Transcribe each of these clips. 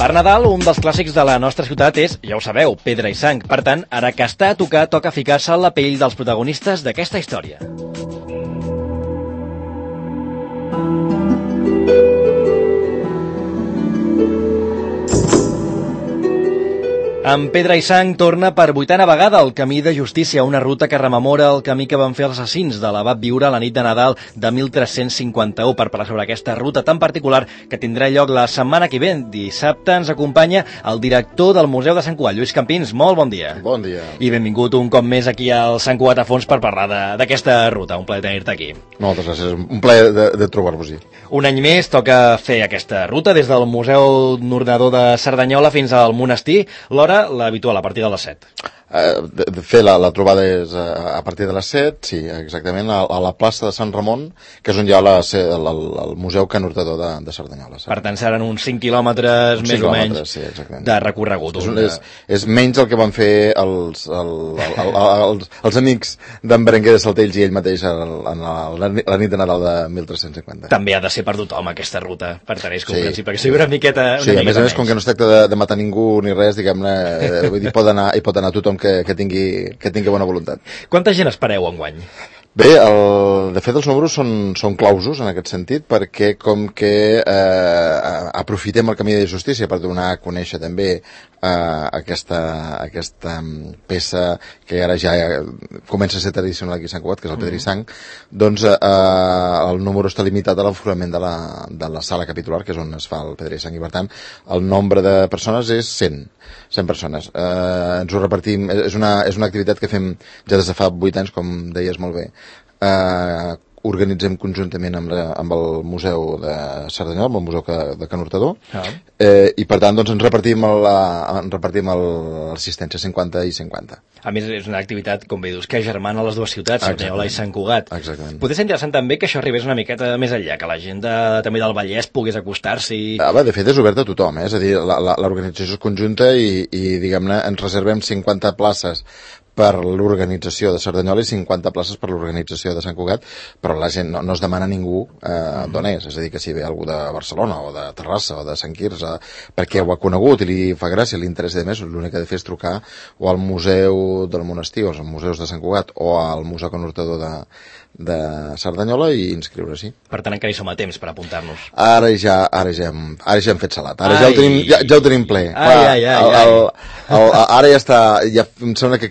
Per Nadal, un dels clàssics de la nostra ciutat és, ja ho sabeu, Pedra i Sang. Per tant, ara que està a tocar, toca ficar-se en la pell dels protagonistes d'aquesta història. En Pedra i Sang torna per 8a vegada el Camí de Justícia, una ruta que rememora el camí que van fer els assassins de l'abat Viure la nit de Nadal de 1351. Per parlar sobre aquesta ruta tan particular que tindrà lloc la setmana que ve, dissabte, ens acompanya el director del Museu de Sant Cugat, Lluís Campins. Molt bon dia. Bon dia. I benvingut un cop més aquí al Sant Cugat a fons per parlar d'aquesta ruta. Un plaer tenir-te aquí. Moltes gràcies, un plaer de trobar-vos-hi. Un any més toca fer aquesta ruta des del Museu Nordador de Cerdanyola fins al monestir. L'hora l'habitual, a partir de les 7. De fer la trobada és a partir de les 7, sí, exactament, a la plaça de Sant Ramon, que és on hi ha el Museu Can Hurtador de Cerdanyola. Per tant, seran uns 5 quilòmetres més o menys sí, de recorregut. És menys el que van fer els amics d'en Berenguer de Saltells i ell mateix la nit de Nadal de 1350. També ha de ser per tothom aquesta ruta, per tant és comprensible, que sigui una miqueta sí, a més, com que no es tracta de matar ningú ni res, diguem-ne, vull dir, pot anar tothom que tingui bona voluntat. Quanta gent espereu enguany? Bé, de fet els números són clausos en aquest sentit, perquè com que aprofitem el Camí de Justícia per donar a conèixer també aquesta peça que ara ja comença a ser tradicional aquí a Sant Cugat, que és el Pedra i Sang, doncs el número està limitat a l'aforament de la sala capitular, que és on es fa el Pedra i Sang, i per tant el nombre de persones és 100 persones. Ens ho repartim, és una activitat que fem ja des de fa 8 anys, com deies molt bé. Organitzem conjuntament amb el Museu de Cerdanyola, amb el Museu de Can Hurtador, i per tant doncs, ens repartim l'assistència 50 i 50. A més, és una activitat, com bé dius, que germana les dues ciutats, Cerdanyola i Sant Cugat. Exactament. Potser ser interessant també que això arribés una miqueta més enllà, que la gent també del Vallès pogués acostar-s'hi. De fet, és obert a tothom, és a dir, l'organització és conjunta i diguem-ne, ens reservem 50 places per l'organització de Cerdanyola i 50 places per l'organització de Sant Cugat, però la gent no es demana a ningú d'on és a dir, que si ve algú de Barcelona o de Terrassa o de Sant Quirze, perquè ho ha conegut i li fa gràcia, li interessa de més, l'únic que ha de fer és trucar o al Museu del Monestir o als museus de Sant Cugat o al Museu Can Hurtador de Cerdanyola i inscriure-s'hi. Per tant, encara hi som a temps per apuntar-nos. Ara ja hem fet salat, ara ja ho tenim ple. Ara ja està, em sembla que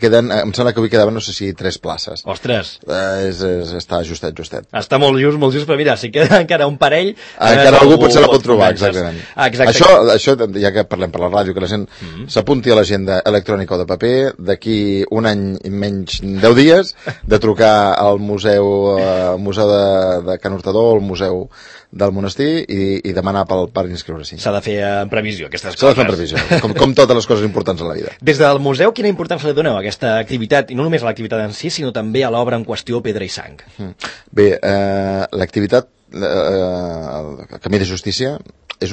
avui quedaven, no sé si 3 places. Ostres! Està justet. Està molt just, però mira, si queda encara un parell... Encara algú potser la pot trobar, exactament. Això, ja que parlem per la ràdio, que la gent s'apunti a l'agenda electrònica o de paper, d'aquí un any i menys 10 dies, de trucar al museu de Can Hurtador, al museu del monestir i demanar per inscriure-s'hi. S'ha de fer en previsió, aquestes coses. S'ha de fer en previsió, com totes les coses importants en la vida. Des del museu, quina importància li doneu a aquesta activitat, i no només a l'activitat en si, sinó també a l'obra en qüestió Pedra i Sang? Bé, l'activitat el Camí de Justícia és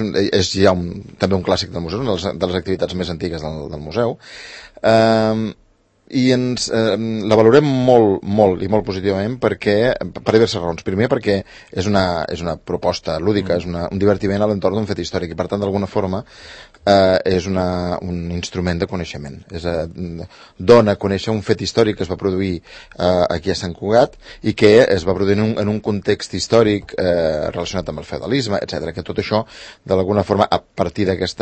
ja també un clàssic del museu, una de les activitats més antigues del museu, i la valorem molt i molt positivament per diverses raons. Primer, perquè és una proposta lúdica, és un divertiment a l'entorn d'un fet històric i per tant d'alguna forma és un instrument de coneixement. Dona a conèixer un fet històric que es va produir aquí a Sant Cugat i que es va produir en un context històric relacionat amb el feudalisme, etc. Que tot això d'alguna forma a partir d'aquest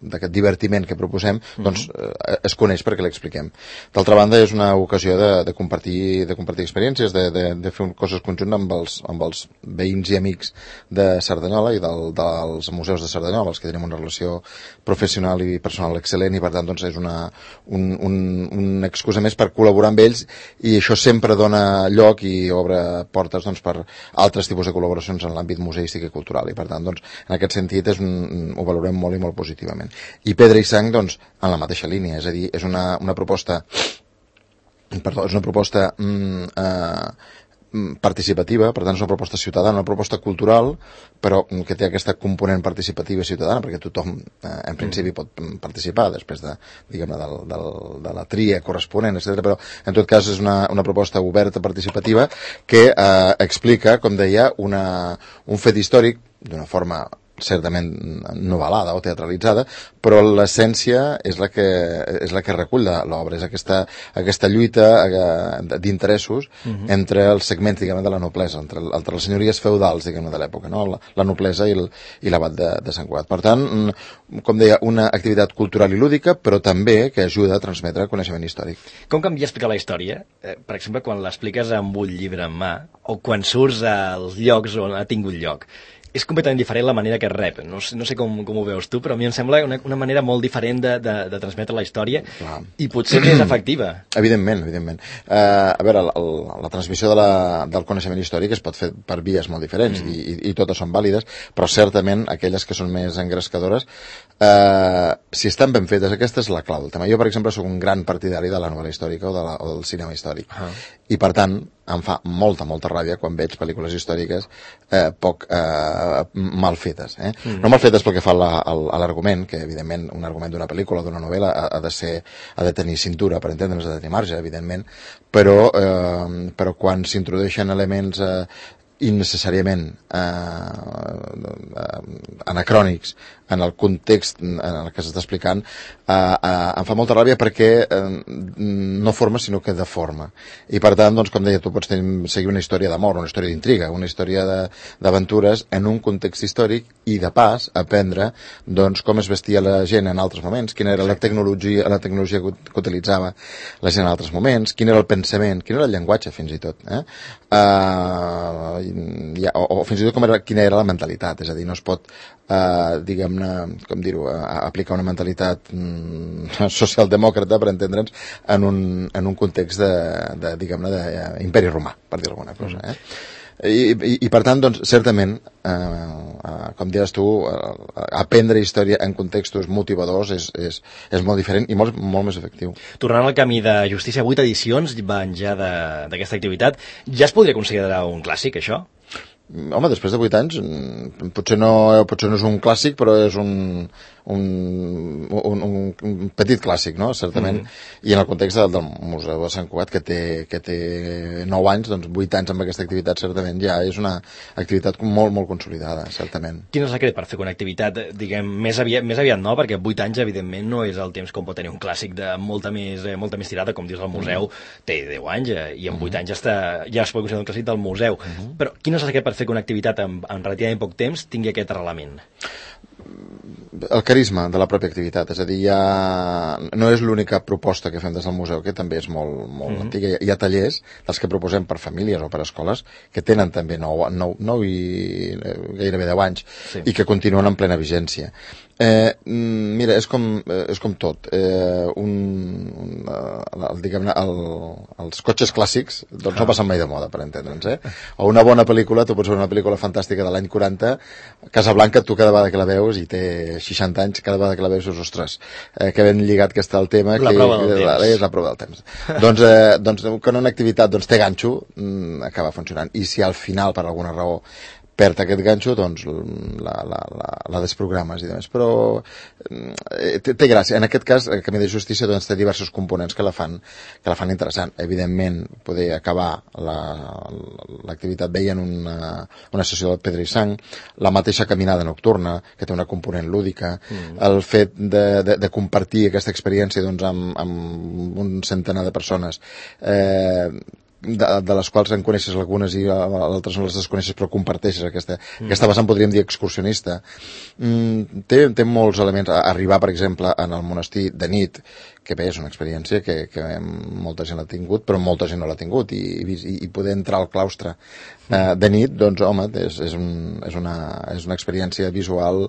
divertiment que proposem, doncs es coneix perquè l'expliquem. D'altra banda, és una ocasió de compartir experiències, de fer coses conjuntament amb els veïns i amics de Cerdanyola i dels museus de Cerdanyola, els que tenim una relació professional i personal excel·lent, i per tant doncs, és una excusa més per col·laborar amb ells, i això sempre dona lloc i obre portes doncs, per altres tipus de col·laboracions en l'àmbit museístic i cultural, i per tant, doncs, en aquest sentit ho valorem molt i molt positivament. I Pedra i Sang, doncs, en la mateixa línia, és a dir, és una proposta participativa, per tant és una proposta ciutadana, una proposta cultural, però que té aquesta component participativa ciutadana, perquè tothom en principi pot participar després de la tria corresponent, etc. Però en tot cas és una proposta oberta, participativa, que explica, com deia, un fet històric d'una forma certament novel·lada o teatralitzada, però l'essència és la que recull l'obra, és aquesta lluita d'interessos entre els segments, diguem, de la noblesa, entre les senyories feudals, diguem, de l'època, no? La noblesa i l'abat de Sant Cugat. Per tant, com deia, una activitat cultural i lúdica, però també que ajuda a transmetre coneixement històric. Com canvia explicar la història? Per exemple, quan l'expliques amb un llibre en mà, o quan surts als llocs on ha tingut lloc. És completament diferent la manera que es rep. No sé com ho veus tu, però a mi em sembla una manera molt diferent de transmetre la història. Clar. I potser més efectiva. Evidentment. A veure, la transmissió del coneixement històric es pot fer per vies molt diferents i totes són vàlides, però certament aquelles que són més engrescadores, si estan ben fetes, aquesta és la clau del tema. Jo, per exemple, sóc un gran partidari de la novel·la històrica o del cinema històric. I, per tant, em fa molta ràbia quan veig pel·lícules històriques poc mal fetes. No mal fetes pel que fa a l'argument, que evidentment un argument d'una pel·lícula o d'una novel·la ha de tenir cintura, per entendre'ns, ha de tenir marge, evidentment, però quan s'introdueixen elements innecessàriament anacrònics en el context en el que s'està explicant, em fa molta ràbia perquè no forma sinó que deforma. I per tant, doncs, com deia, tu pots seguir una història d'amor, una història d'intriga, una història d'aventures en un context històric i de pas aprendre doncs, com es vestia la gent en altres moments, quina era la tecnologia que utilitzava la gent en altres moments, quin era el pensament, quin era el llenguatge fins i tot, o fins i tot quina era la mentalitat. És a dir, no es pot diguem-ne, com dir-ho, aplicar una mentalitat socialdemòcrata, per entendre'ns, en un context diguem-ne, d'imperi romà, per dir alguna cosa. I per tant, doncs, certament, com deies tu, aprendre història en contextos motivadors és molt diferent i molt més efectiu. Tornant al Camí de Justícia, 8 edicions van ja d'aquesta activitat. Ja es podria considerar un clàssic, això? Home, després de 8 anys, potser no és un clàssic, però és un petit clàssic, no? Certament. I en el context del Museu de Sant Cugat, que té 9 anys, doncs 8 anys amb aquesta activitat, certament ja és una activitat molt consolidada, certament. Quin és el secret per fer una activitat, diguem, més aviat no? Perquè 8 anys, evidentment, no és el temps com pot tenir un clàssic de molta més tirada, com dius, el museu té 10 anys i en 8 anys ja es pot considerar un clàssic del museu. Però quin és el secret per fer que una activitat en relativament poc temps tingui aquest arrelament? El carisma de la pròpia activitat, és a dir, no és l'única proposta que fem des del museu, que també és molt antiga. Hi ha tallers dels que proposem per famílies o per escoles que tenen també 9 i gairebé 10 anys i que continuen en plena vigència. Mira, és com tot. Diguem-ne, els cotxes clàssics doncs no passen mai de moda, per entendre'ns. O una bona pel·lícula, tu pots veure una pel·lícula fantàstica de l'any 40, Casablanca, tu cada vegada que la veus, i té 60 anys, cada vegada que la veus, ostres, que ben lligat que està el tema, la prova del temps. És la prova del temps. Doncs quan una activitat té ganxo, acaba funcionant. I si al final, per alguna raó, perd aquest ganxo, doncs la desprogrames i demés. Però té gràcia. En aquest cas, el Camí de Justícia doncs, té diversos components que la fan interessant. Evidentment, poder acabar l'activitat veient una sessió de pedra i sang, la mateixa caminada nocturna, que té una component lúdica, el fet de compartir aquesta experiència doncs, amb un centenar de persones, de les quals en coneixes algunes i altres no les desconeixes, però comparteixes aquesta vessant, podríem dir, excursionista. Té molts elements. Arribar, per exemple, en el monestir de nit, que bé, és una experiència que molta gent l'ha tingut, però molta gent no l'ha tingut, i poder entrar al claustre de nit, doncs, home, és una experiència visual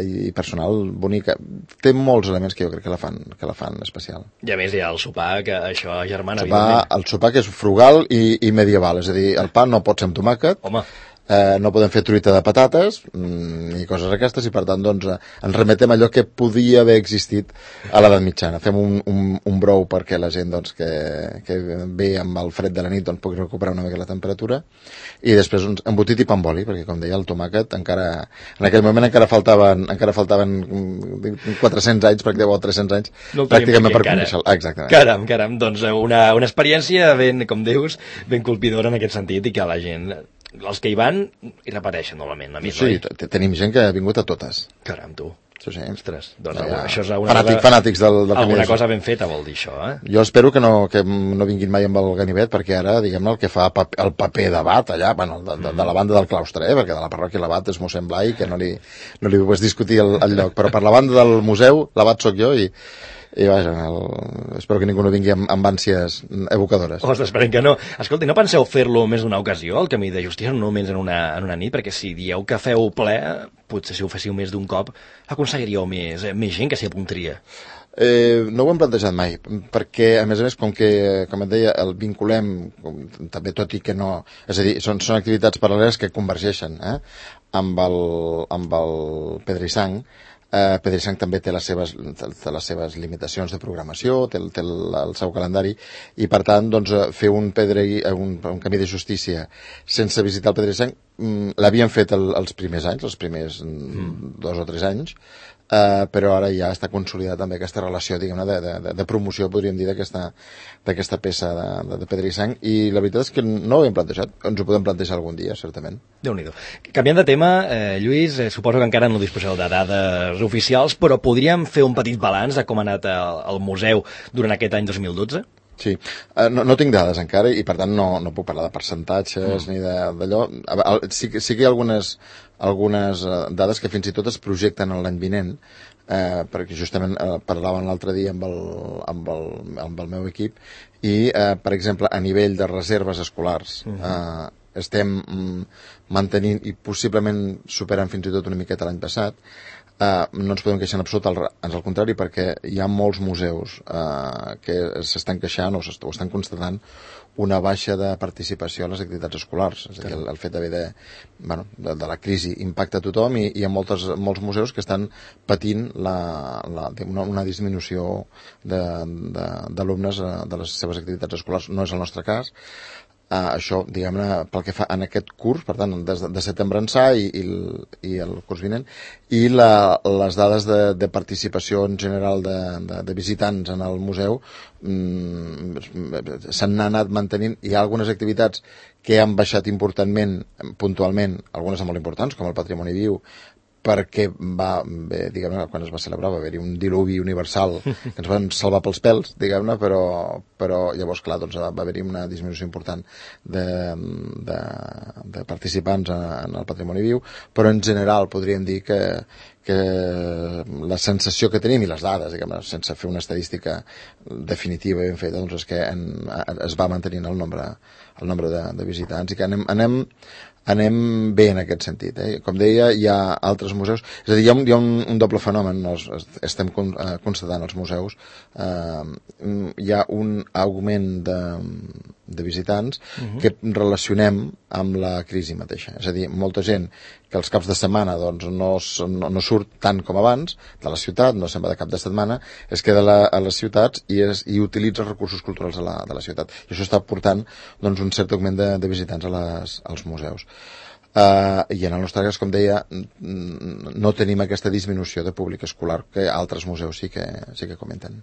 i personal bonica. Té molts elements que jo crec que la fan especial. I a més hi ha el sopar, que això germana, el sopar que és frugal i medieval, és a dir, el pa no pot ser amb tomàquet. Home. No podem fer truita de patates ni coses aquestes, i per tant doncs, ens remetem a allò que podia haver existit a l'edat mitjana. Fem un brou perquè la gent doncs, que ve amb el fred de la nit doncs, pugui recuperar una mica la temperatura, i després un embotit i pa amb oli, perquè com deia el tomàquet en aquell moment encara faltaven 400 anys, o 300 anys pràcticament per conèixer-lo. Exactament. Caram, doncs una experiència ben, com dius, ben colpidora en aquest sentit, i que la gent els que hi van hi repeteixen normalment. Sí, tenim gent que ha vingut a totes. Caram, tu. Sí. Ostres, doncs això és alguna fanàtics del alguna cosa ben feta vol dir això, eh? Jo espero que no vinguin mai amb el ganivet, perquè ara, diguem-ne, el que fa el paper d'abat allà, bueno, de la banda del claustre, perquè de la parròquia l'abat és mossèn Blai, que no li pots discutir el lloc, però per la banda del museu l'abat sóc jo i vaja, espero que ningú no vingui amb ànsies evocadores. Ostres, esperem que no. Escolta, no penseu fer-lo més d'una ocasió, el Camí de Justícia, no només en una nit, perquè si dieu que feu ple, potser si ho féssiu més d'un cop, aconseguiríeu més gent que s'hi apuntaria. No ho hem plantejat mai, perquè, a més, com et deia, el vinculem, també tot i que no... És a dir, són activitats paral·leles que convergeixen amb el Pedra i Sang. Pedra i Sang també té les seves limitacions de programació, té el seu calendari, i per tant, doncs, fer un Camí de Justícia sense visitar el Pedra i Sang l'havíem fet els primers anys, els primers 2 o 3 anys, però ara ja està consolidat també aquesta relació, diguem-ne, de promoció, podríem dir, d'aquesta peça de Pedra i Sang, i la veritat és que no ho hem plantejat, ens ho podem plantejar algun dia, certament. Déu-n'hi-do. Canviant de tema, Lluís, suposo que encara no disposeu de dades oficials, però podríem fer un petit balanç de com ha anat el museu durant aquest any 2012? Sí, no tinc dades encara i per tant no puc parlar de percentatges ni d'allò. Sí que hi ha algunes dades que fins i tot es projecten l'any vinent, perquè justament parlaven l'altre dia amb el meu equip i, per exemple, a nivell de reserves escolars estem mantenint i possiblement superant fins i tot una miqueta l'any passat. No ens podem queixar en absolut, ans al contrari, perquè hi ha molts museus que s'estan queixant o estan constatant una baixa de participació a les activitats escolars. És a dir, el fet d'haver de la crisi impacta a tothom i hi ha molts museus que estan patint una disminució d'alumnes de les seves activitats escolars. No és el nostre cas. Això, diguem-ne, pel que fa en aquest curs, per tant, de setembre ençà i el curs vinent, i les dades de participació en general de visitants en el museu s'han anat mantenint. Hi ha algunes activitats que han baixat importantment, puntualment, algunes molt importants, com el Patrimoni Viu, perquè diguem-ne, quan es va celebrar va haver-hi un diluvi universal que ens van salvar pels pèls, diguem-ne, però llavors, clar, doncs, va haver-hi una disminució important de participants en el Patrimoni Viu, però en general podríem dir que la sensació que tenim i les dades, diguem-ne, sense fer una estadística definitiva ben feta, doncs és que es va mantenint el nombre de visitants i que anem bé en aquest sentit. Com deia, hi ha altres museus, és a dir, hi ha un doble fenomen, estem constatant als museus, hi ha un augment de visitants que relacionem amb la crisi mateixa. És a dir, molta gent que els caps de setmana doncs, no surt tant com abans de la ciutat, no se'n va de cap de setmana, es queda a les ciutats i utilitza els recursos culturals de la ciutat. I això està portant doncs, un cert augment de visitants als museus. I en el nostre cas, com deia, no tenim aquesta disminució de públic escolar que altres museus sí que comenten.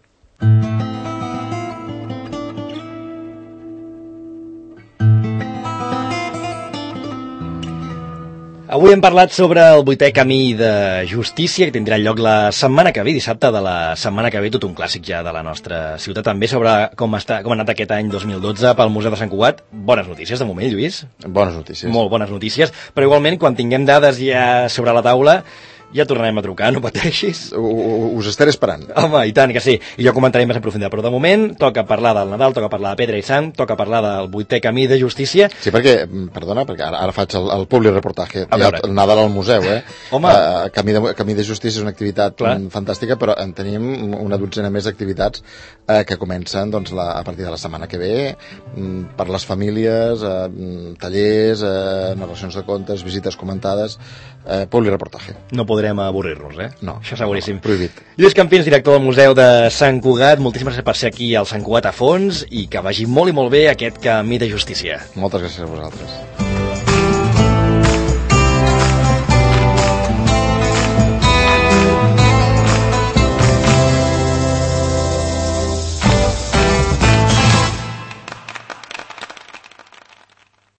Avui hem parlat sobre el 8è Camí de Justícia, que tindrà lloc la setmana que ve, dissabte de la setmana que ve, tot un clàssic ja de la nostra ciutat. També sobre com ha anat aquest any 2012 pel Museu de Sant Cugat. Bones notícies, de moment, Lluís. Bones notícies. Molt bones notícies, però igualment, quan tinguem dades ja sobre la taula, ja tornarem a trucar, no pateixis. Us estaré esperant. Home, i tant que sí. I jo comentaré més en profunditat, però de moment toca parlar del Nadal, toca parlar de Pedra i Sang, toca parlar del 8è Camí de Justícia. Sí, perquè ara faig el public reportatge. El Nadal al museu, Home. Camí de Justícia és una activitat fantàstica, però en tenim una dotzena més d'activitats que comencen doncs, a partir de la setmana que ve, per les famílies, tallers, narracions de contes, visites comentades, public reportatge. No podrem avorrir-nos, No, això seguríssim. Prohibit. Lluís Campins, director del Museu de Sant Cugat, moltíssimes gràcies per ser aquí al Sant Cugat a fons i que vagi molt i molt bé aquest Camí de Justícia. Moltes gràcies a vosaltres.